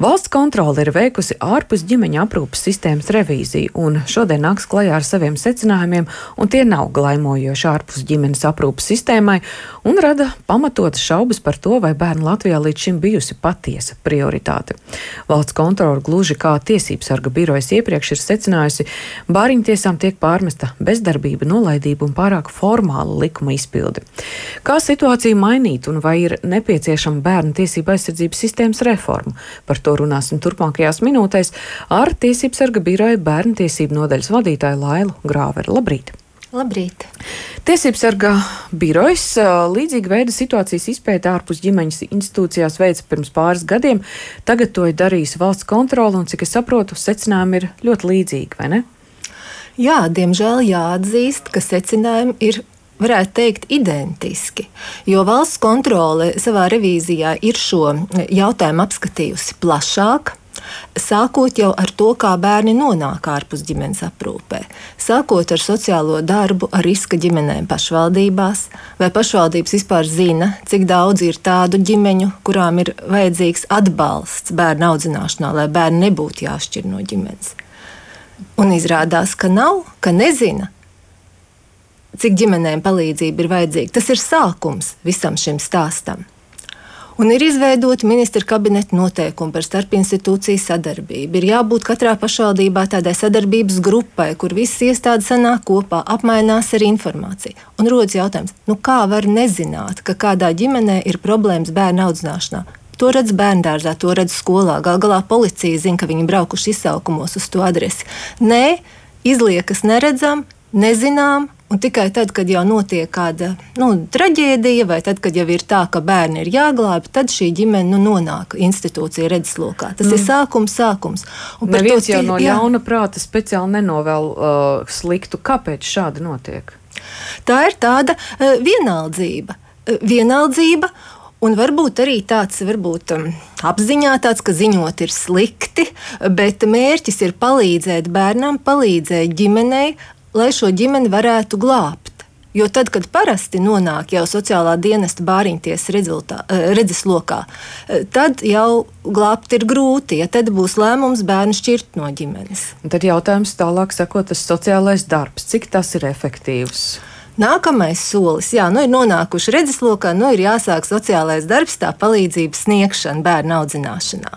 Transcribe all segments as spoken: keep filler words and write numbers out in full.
Valsts kontrole ir veikusi ārpus ģimeņa aprūpes sistēmas revīziju, un šodien nāks klajā ar saviem secinājumiem, un tie nav glaimojoši ārpus ģimenes aprūpes sistēmai, un rada pamatotas šaubas par to, vai bērnu Latvijā līdz šim bijusi patiesa prioritāte. Valsts kontrole gluži kā tiesības sarga birojas iepriekš ir secinājusi, bāriņtiesām tiek pārmesta bezdarbība, nolaidība un pārāk formāla likuma izpilde. Kā situāciju mainīt un vai ir nepieciešama bērnu tiesība aizsardzības sistēmas reforma? Par to runāsim turpmākajās minūtēs ar tiesību sarga biroja bērnu tiesību nodaļas vadītāju Lailu Grāveri. Labrīt! Labrīt! Tiesību sarga birojas līdzīga veida situācijas izpēta ārpus ģimeņas institūcijās veica pirms pāris gadiem. Tagad to ir darījusi valsts kontrole, un cik es saprotu, secinājumi ir ļoti līdzīgi, vai ne? Jā, diemžēl jāatzīst, ka secinājumi ir, varētu teikt, identiski, jo valsts kontrole savā revīzijā ir šo jautājumu apskatījusi plašāk, sākot jau ar to, kā bērni nonāk ārpus ģimenes aprūpē, sākot ar sociālo darbu, ar riska ģimenēm pašvaldībās, vai pašvaldības vispār zina, cik daudz ir tādu ģimeņu, kurām ir vajadzīgs atbalsts bērnu audzināšanā, lai bērni nebūtu jāšķir no ģimenes. Un izrādās, ka nav, ka nezina, cik ģimenēm palīdzība ir vajadzīga. Tas ir sākums visam šim stāstam. Un ir izveidota ministra kabineta noteikumi par starpinstitūciju sadarbību. Ir jābūt katrā pašvaldībā tādai sadarbības grupai, kur visas iestādes sanāk kopā, apmainās ar informāciju. Un rodas jautājums, nu kā var nezināt, ka kādā ģimenē ir problēmas bērnu audzināšanā? To redz bērndārzā, to redz skolā. Gal galā policija zina, ka viņi braukuši izsaukumos uz to adresi. Nē, izliekas neredzam, nezinām. Un tikai tad, kad jau notiek kāda nu, traģēdija, vai tad, kad jau ir tā, ka bērni ir jāglābj, tad šī ģimene nu, nonāk institūcija redzeslokā. Tas mm. ir sākums, sākums. Un neviens jau no jā. ļauna prāta speciāli nenovēl uh, sliktu. Kāpēc šādi notiek? Tā ir tāda uh, vienaldzība. Uh, vienaldzība. Un varbūt arī tāds varbūt, um, apziņā tāds, ka ziņot ir slikti, bet mērķis ir palīdzēt bērnam, palīdzēt ģimenei, lai šo ģimeni varētu glābt. Jo tad, kad parasti nonāk jau sociālā dienesta bāriņtiesas redzeslokā, tad jau glābt ir grūti, ja tad būs lēmums bērnu šķirt no ģimenes. Un tad jautājums tālāk sakot, tas sociālais darbs, cik tas ir efektīvs? Nākamais solis, jā, nu ir nonākuši redzeslokā, nu ir jāsāk sociālais darbs, tā palīdzības sniegšana bērnu audzināšanā.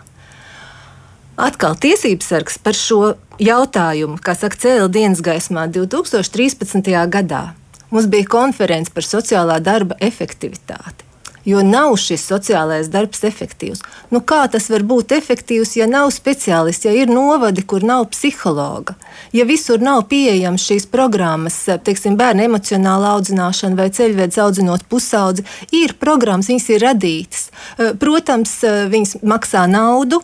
Atkal tiesības sargs par šo jautājumu, kā saka, cēla dienas gaismā divi tūkstoši trīspadsmitajā gadā. Mums bija konference par sociālā darba efektivitāti, jo nav šis sociālais darbs efektīvs. Nu, kā tas var būt efektīvs, ja nav speciālisti, ja ir novadi, kur nav psihologa, ja visur nav pieejams šīs programmas, teiksim, bērnu emocionāla audzināšana vai ceļvedis audzinot pusaudzi, ir programmas, viņas ir radītas. Protams, viņas maksā naudu,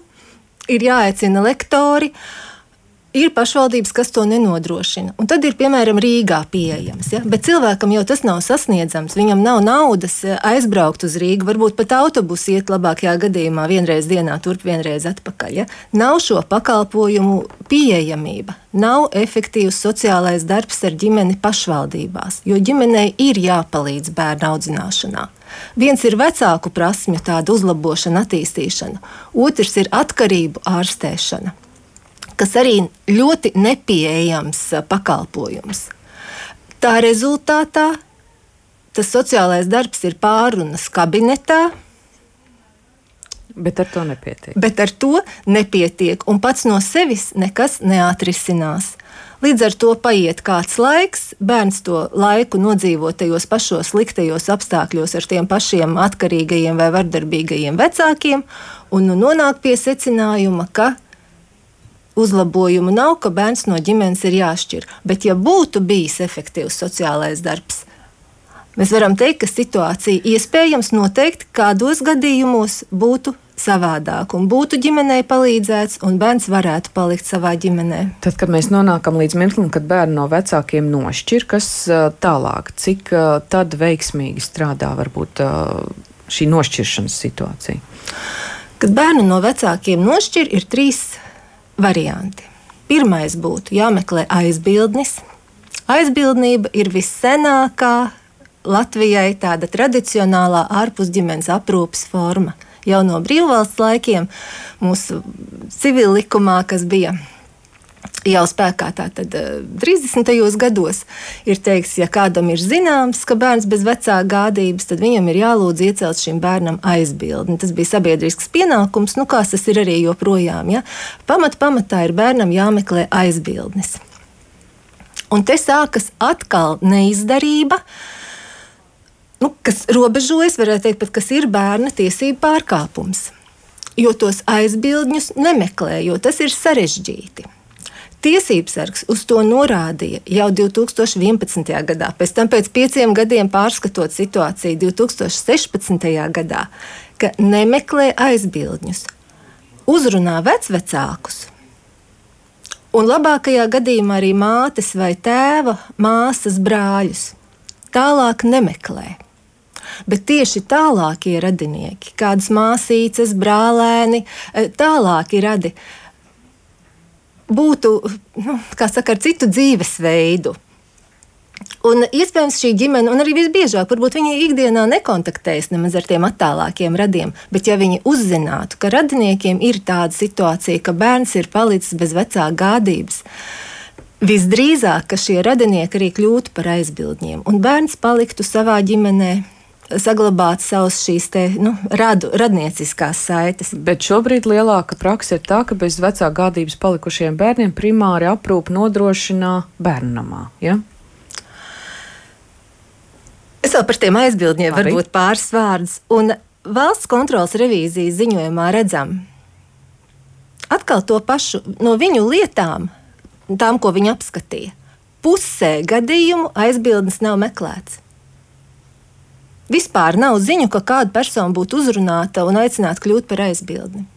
ir jāaicina lektori, ir pašvaldības, kas to nenodrošina. Un tad ir, piemēram, Rīgā pieejams. Ja? Bet cilvēkam jau tas nav sasniedzams, viņam nav naudas aizbraukt uz Rīgu, varbūt pat autobusu iet labākajā gadījumā vienreiz dienā, turp vienreiz atpakaļ. Ja? Nav šo pakalpojumu pieejamība, nav efektīvs sociālais darbs ar ģimeni pašvaldībās, jo ģimenei ir jāpalīdz bērnu audzināšanā. Viens ir vecāku prasmju tāda uzlabošana, attīstīšana, otrs ir atkarību ārstēšana, kas arī ļoti nepieejams pakalpojums. Tā rezultātā tas sociālais darbs ir pārunas kabinetā, bet ar to nepietiek. Bet ar to nepietiek, un pats no sevis nekas neatrisinās. Līdz ar to paiet kāds laiks, bērns to laiku nodzīvo tajos pašos sliktajos apstākļos ar tiem pašiem atkarīgajiem vai vardarbīgajiem vecākiem, un nu nonāk pie secinājuma, ka uzlabojumu nav, ka bērns no ģimenes ir jāšķir. Bet ja būtu bijis efektīvs sociālais darbs, mēs varam teikt, ka situācija iespējams noteikti kādos gadījumos būtu savādāk un būtu ģimenei palīdzēts un bērns varētu palikt savā ģimenē. Tad, kad mēs nonākam līdz mirklim, kad bērni no vecākiem nošķir, kas tālāk, cik tad veiksmīgi strādā varbūt šī nošķiršanas situācija? Kad bērnu no vecākiem nošķir, ir trīs varianti. Pirmais būtu jāmeklē aizbildnis. Aizbildnība ir vissenākā Latvijai tāda tradicionālā ārpusģimenes aprūpes forma. jau no brīvvalsts laikiem, mūsu civil likumā, kas bija jau spēkā tātad trīsdesmitajos gados, ir teikts, ja kādam ir zināms, ka bērns bez vecāka gādības, tad viņam ir jālūdz iecelt šim bērnam aizbildni. Tas bija sabiedrisks pienākums, nu kāds tas ir arī joprojām. Ja? Pamat pamatā ir bērnam jāmeklē aizbildnis. Un te sākas atkal neizdarība, nu, kas robežojas, varētu teikt, pat kas ir bērna tiesību pārkāpums. Jo tos aizbildņus nemeklē, jo tas ir sarežģīti. Tiesībsargs uz to norādīja jau divi tūkstoši vienpadsmitajā gadā, pēc tam pēc pieciem gadiem pārskatot situāciju divi tūkstoši sešpadsmitajā gadā, ka nemeklē aizbildņus, uzrunā vecvecākus, un labākajā gadījumā arī mātes vai tēva, māsas, brāļus. Tālāk nemeklē. Bet tieši tālākie radinieki, kādas māsīces, brālēni, tālāki radi, būtu, nu, kā saka, ar citu dzīvesveidu. Un iespējams šī ģimene, un arī visbiežāk, varbūt viņi ikdienā nekontaktējas nemaz ar tiem attālākiem radiem, bet ja viņi uzzinātu, ka radiniekiem ir tāda situācija, ka bērns ir palicis bez vecāka gādības, visdrīzāk, ka šie radinieki arī kļūtu par aizbildņiem, un bērns paliktu savā ģimenē, saglabāt savus šīs te, nu, radu, radnieciskās saites. Bet šobrīd lielāka praksa ir tā, ka bez vecā gādības palikušiem bērniem primāri aprūpi nodrošina bērnnamā, ja? Es vēl par tiem aizbildņiem Arī? varbūt pāris vārdus. Un valsts kontrolas revīzijas ziņojumā redzam atkal to pašu no viņu lietām, tām, ko viņi apskatīja. Pusē gadījumu aizbildnis nav meklēts. Vispār nav ziņu, ka kāda persona būtu uzrunāta un aicināta kļūt par aizbildni.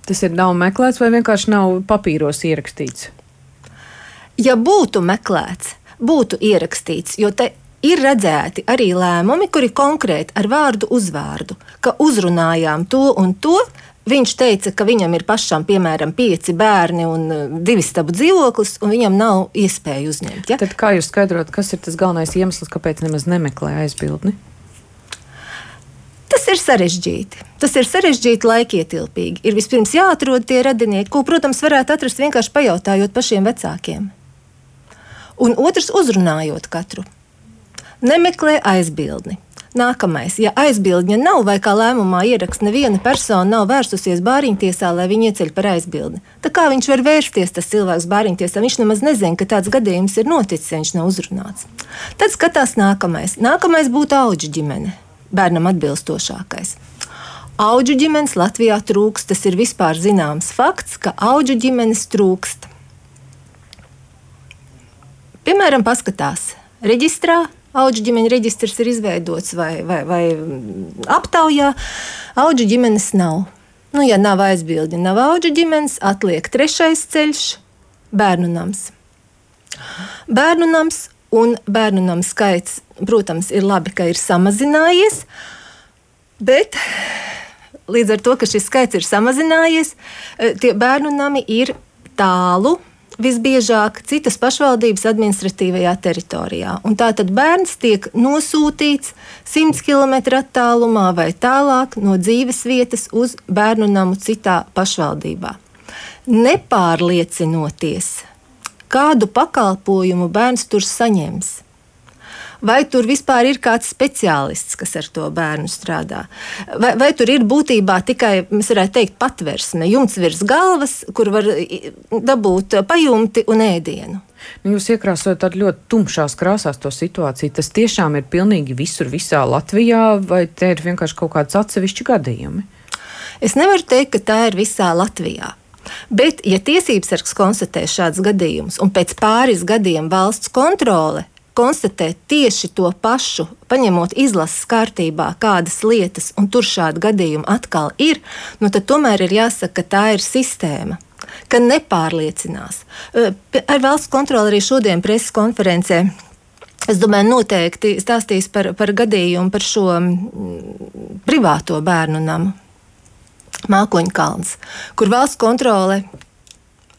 Tas ir nav meklēts vai vienkārši nav papīros ierakstīts? Ja būtu meklēts, būtu ierakstīts, jo te ir redzēti arī lēmumi, kuri konkrēti ar vārdu uzvārdu, ka uzrunājām to un to. Viņš teica, ka viņam ir pašam, piemēram, pieci bērni un divi stabu dzīvoklis, un viņam nav iespēju uzņemt. Ja? Tad kā jūs skaidrot, kas ir tas galvenais iemesls, kāpēc nemaz nemeklē aizbildni? Tas ir sarežģīti. Tas ir sarežģīti, laikietilpīgi. Ir vispirms jāatrod tie radinieki, ko, protams, varētu atrast vienkārši pajautājot pašiem vecākiem. Un otrs, uzrunājot katru. Nemeklē aizbildni. Nākamais, ja aizbildņa nav vai kā lēmumā ieraksta neviena persona nav vērsusies bāriņtiesā, lai viņu ieceļ par aizbildni. Tā kā viņš var vērsties, tas cilvēks bāriņtiesā, viņš nemaz nezina, ka tāds gadījums ir noticis, ja viņš nav uzrunāts. Tad skatās nākamais. Nākamais būtu auģu ģimene. Bērnam atbilstošākais. Auģu ģimenes Latvijā trūkst, tas ir vispār zināms fakts, ka auģu ģimenes trūkst. Piemēram, paskatās reģistrā, auģu ģimeņa reģistrs ir izveidots vai, vai, vai aptaujā, auģu ģimenes nav. Nu, ja nav aizbildņa, nav auģu ģimenes, atliek trešais ceļš – bērnu nams. Bērnu nams un bērnu namu skaits, protams, ir labi, ka ir samazinājies, bet līdz ar to, ka šis skaits ir samazinājies, tie bērnu nami ir tālu, visbiežāk citas pašvaldības administratīvajā teritorijā. Un tātad bērns tiek nosūtīts simts kilometru attālumā vai tālāk no dzīves vietas uz bērnu namu citā pašvaldībā. Nepārliecinoties, kādu pakalpojumu bērns tur saņems. Vai tur vispār ir kāds speciālists, kas ar to bērnu strādā? Vai, vai tur ir būtībā tikai, mēs varētu teikt, patversme, jumts virs galvas, kur var dabūt pajumti un ēdienu? Nu, jūs iekrāsojat tādu ļoti tumšās krāsās to situāciju. Tas tiešām ir pilnīgi visur, visā Latvijā, vai te ir vienkārši kaut kāds atsevišķi gadījumi? Es nevaru teikt, ka tā ir visā Latvijā. Bet, ja tiesībsargs konstatē šādus gadījumus, un pēc pāris gadiem valsts kontrole konstatē tieši to pašu, paņemot izlases kārtībā kādas lietas, un tur šādi gadījumi atkal ir, nu tad tomēr ir jāsaka, ka tā ir sistēma, ka nepārliecinās. Ar valsts kontroli arī šodien preses konferencē, es domāju, noteikti stāstīs par, par gadījumu par šo privāto bērnu namu, Mākoņkalns, kur valsts kontrole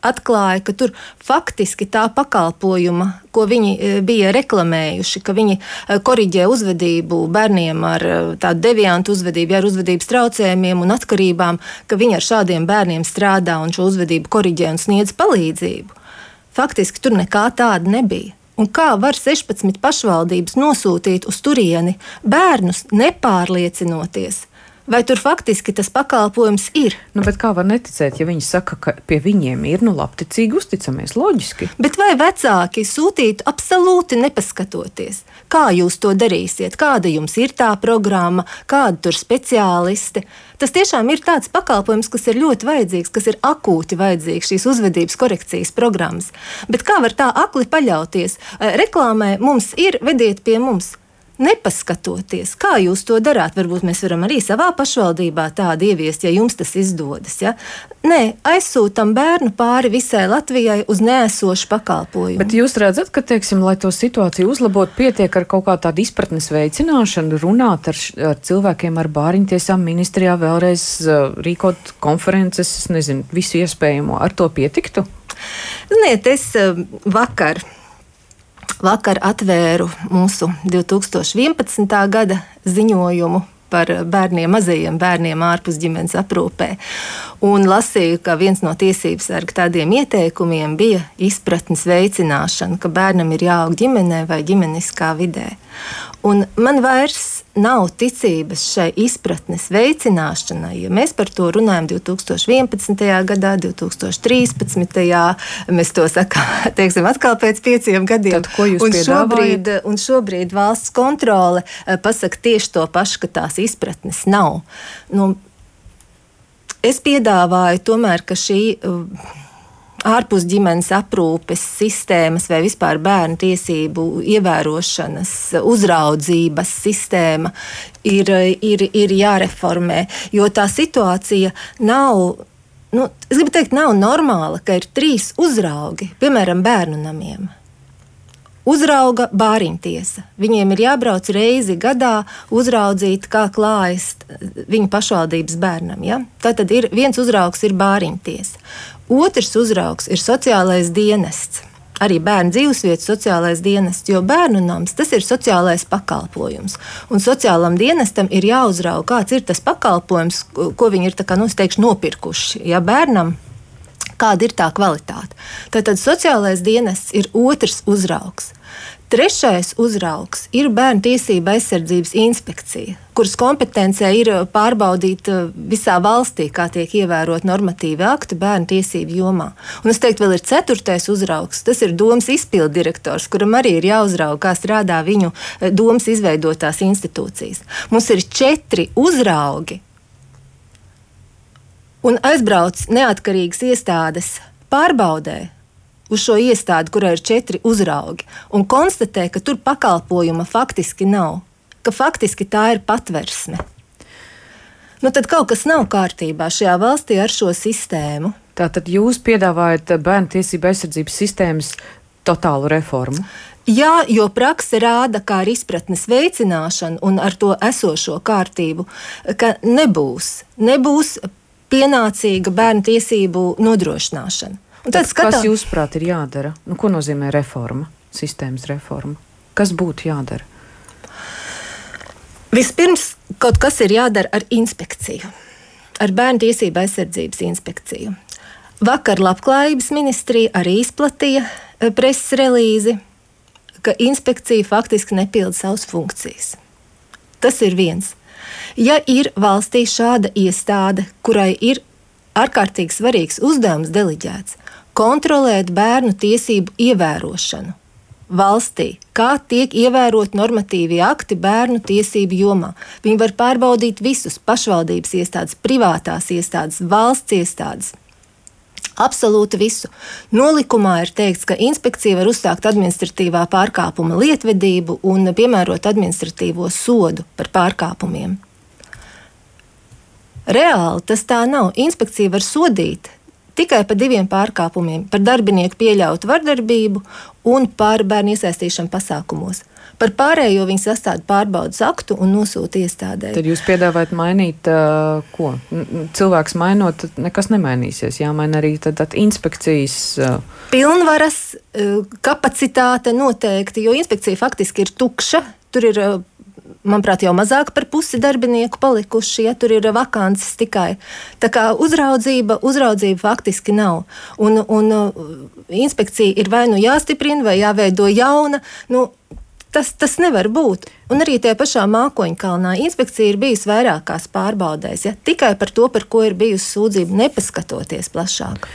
atklāja, ka tur faktiski tā pakalpojuma, ko viņi bija reklamējuši, ka viņi koriģē uzvedību bērniem ar tādu deviantu uzvedību, ar uzvedības traucējumiem un atkarībām, ka viņi ar šādiem bērniem strādā un šo uzvedību koriģē un sniedz palīdzību. Faktiski tur nekā tāda nebija. Un kā var sešpadsmit pašvaldības nosūtīt uz turieni bērnus, nepārliecinoties, vai tur faktiski tas pakalpojums ir? Nu, bet kā var neticēt, ja viņi saka, ka pie viņiem ir, nu, labticīgi uzticamies, loģiski? Bet vai vecāki sūtītu absolūti nepaskatoties? Kā jūs to darīsiet? Kāda jums ir tā programma? Kāda tur speciālisti? Tas tiešām ir tāds pakalpojums, kas ir ļoti vajadzīgs, kas ir akūti vajadzīgs, šīs uzvedības korekcijas programmas. Bet kā var tā akli paļauties? Reklāmē mums ir, vediet pie mums. Nepaskatoties, kā jūs to darāt, varbūt mēs varam arī savā pašvaldībā tādu ieviest, ja jums tas izdodas. Ja? Nē, aizsūtam bērnu pāri visai Latvijai uz neesošu pakalpojumu. Bet jūs redzat, ka, teiksim, lai to situāciju uzlabotu, pietiek ar kaut kā tādu izpratnes veicināšanu, runāt ar, ar cilvēkiem, ar bāriņtiesām ministrijā, vēlreiz uh, rīkot konferences, nezinu, visu iespējamo, ar to pietiktu? Ziniet, es uh, vakar. Vakar atvēru mūsu divi tūkstoši vienpadsmitā gada ziņojumu par bērniem, mazajiem bērniem ārpus ģimenes aprūpē. Un lasīju, ka viens no tiesības sarga tādiem ieteikumiem bija izpratnes veicināšana, ka bērnam ir jāaug ģimenē vai ģimeniskā vidē. Un man vairs nav ticības šai izpratnes veicināšanai, ja mēs par to runājam divi tūkstoši vienpadsmitajā gadā, divi tūkstoši trīspadsmitajā Mēs to sakām, teiksim, atkal pēc pieciem gadiem. Tad, ko jūs un šobrīd, piedāvājat? un šobrīd valsts kontrole pasaka tieši to pašu, ka tās izpratnes nav. Nu, es piedāvāju tomēr, ka šī ārpus ģimenes aprūpes sistēmas vai vispār bērnu tiesību ievērošanas, uzraudzības sistēma ir, ir, ir jāreformē, jo tā situācija nav, nu, es gribu teikt, nav normāla, ka ir trīs uzraugi, piemēram, bērnu namiem. Uzrauga bāriņtiesa. Viņiem ir jābrauc reizi gadā uzraudzīt, kā klājas viņu pašvaldības bērnam. Ja? Tātad ir, viens uzraugs ir bāriņtiesa. Otrs uzraugs ir sociālais dienests. Arī bērnu dzīvesvietas sociālais dienests, jo bērnu nams tas ir sociālais pakalpojums. Un sociālam dienestam ir jāuzrauga, kāds ir tas pakalpojums, ko viņi ir tā kā, nu, es teikšu, nopirkuši. Ja bērnam kāda ir tā kvalitāte. Tātad sociālais dienests ir otrs uzraugs. Trešais uzraugs ir Bērnu tiesība aizsardzības inspekcija, kuras kompetencē ir pārbaudīt visā valstī, kā tiek ievērot normatīvi akti bērnu tiesību jomā. Un es teiktu, vēl ir ceturtais uzraugs, tas ir domas izpilddirektors, kuram arī ir jāuzrauga, kā strādā viņu domas izveidotās institūcijas. Mums ir četri uzraugi, un aizbrauc neatkarīgas iestādes pārbaudē uz šo iestādi, kurā ir četri uzraugi, un konstatē, ka tur pakalpojuma faktiski nav, ka faktiski tā ir patversme. Nu, tad kaut kas nav kārtībā šajā valstī ar šo sistēmu. Tātad jūs piedāvājat bērnu tiesību aizsardzības sistēmas totālu reformu? Jā, jo prakse rāda, kā ar izpratnes veicināšanu un ar to esošo kārtību, ka nebūs, nebūs pienācīga bērnu tiesību nodrošināšana. Tad, skatā... Kas jūsuprāt ir jādara? Nu, ko nozīmē reforma, sistēmas reforma? Kas būtu jādara? Vispirms kaut kas ir jādara ar inspekciju, ar Bērnu tiesību aizsardzības inspekciju. Vakar Labklājības ministrija arī izplatīja preses relīzi, ka inspekcija faktiski nepilda savas funkcijas. Tas ir viens. Ja ir valstī šāda iestāde, kurai ir ārkārtīgi svarīgs uzdevums deleģēts, kontrolēt bērnu tiesību ievērošanu valstī, kā tiek ievērot normatīvie akti bērnu tiesību jomā. Viņi var pārbaudīt visus pašvaldības iestādes, privātās iestādes, valsts iestādes. Absolūti visu. Nolikumā ir teikts, ka inspekcija var uzsākt administratīvā pārkāpuma lietvedību un piemērot administratīvo sodu par pārkāpumiem. Reāli tas tā nav. Inspekcija var sodīt tikai par diviem pārkāpumiem - par darbinieku pieļautu vardarbību un par bērnu iesaistīšanu pasākumos. Par pārējo viņi sastāda pārbaudas aktu un nosūta iestādē. Tad jūs piedāvājat mainīt, uh, ko? Cilvēks mainot, tad nekas nemainīsies. Jāmaina arī tad, tad inspekcijas. Uh... Pilnvaras, uh, kapacitāte noteikti, jo inspekcija faktiski ir tukša. Tur ir, uh, manuprāt, jau mazāk par pusi darbinieku palikuši, ja tur ir vakances tikai. Tā kā uzraudzība, uzraudzība faktiski nav. Un, un uh, inspekcija ir vai nu jāstiprina, vai jāveido jauna. Nu, tas, tas nevar būt. Un arī tie pašā Mākoņkalnā inspekcija ir bijusi vairākās pārbaudēs, ja? Tikai par to, par ko ir bijusi sūdzība, nepaskatoties plašāk.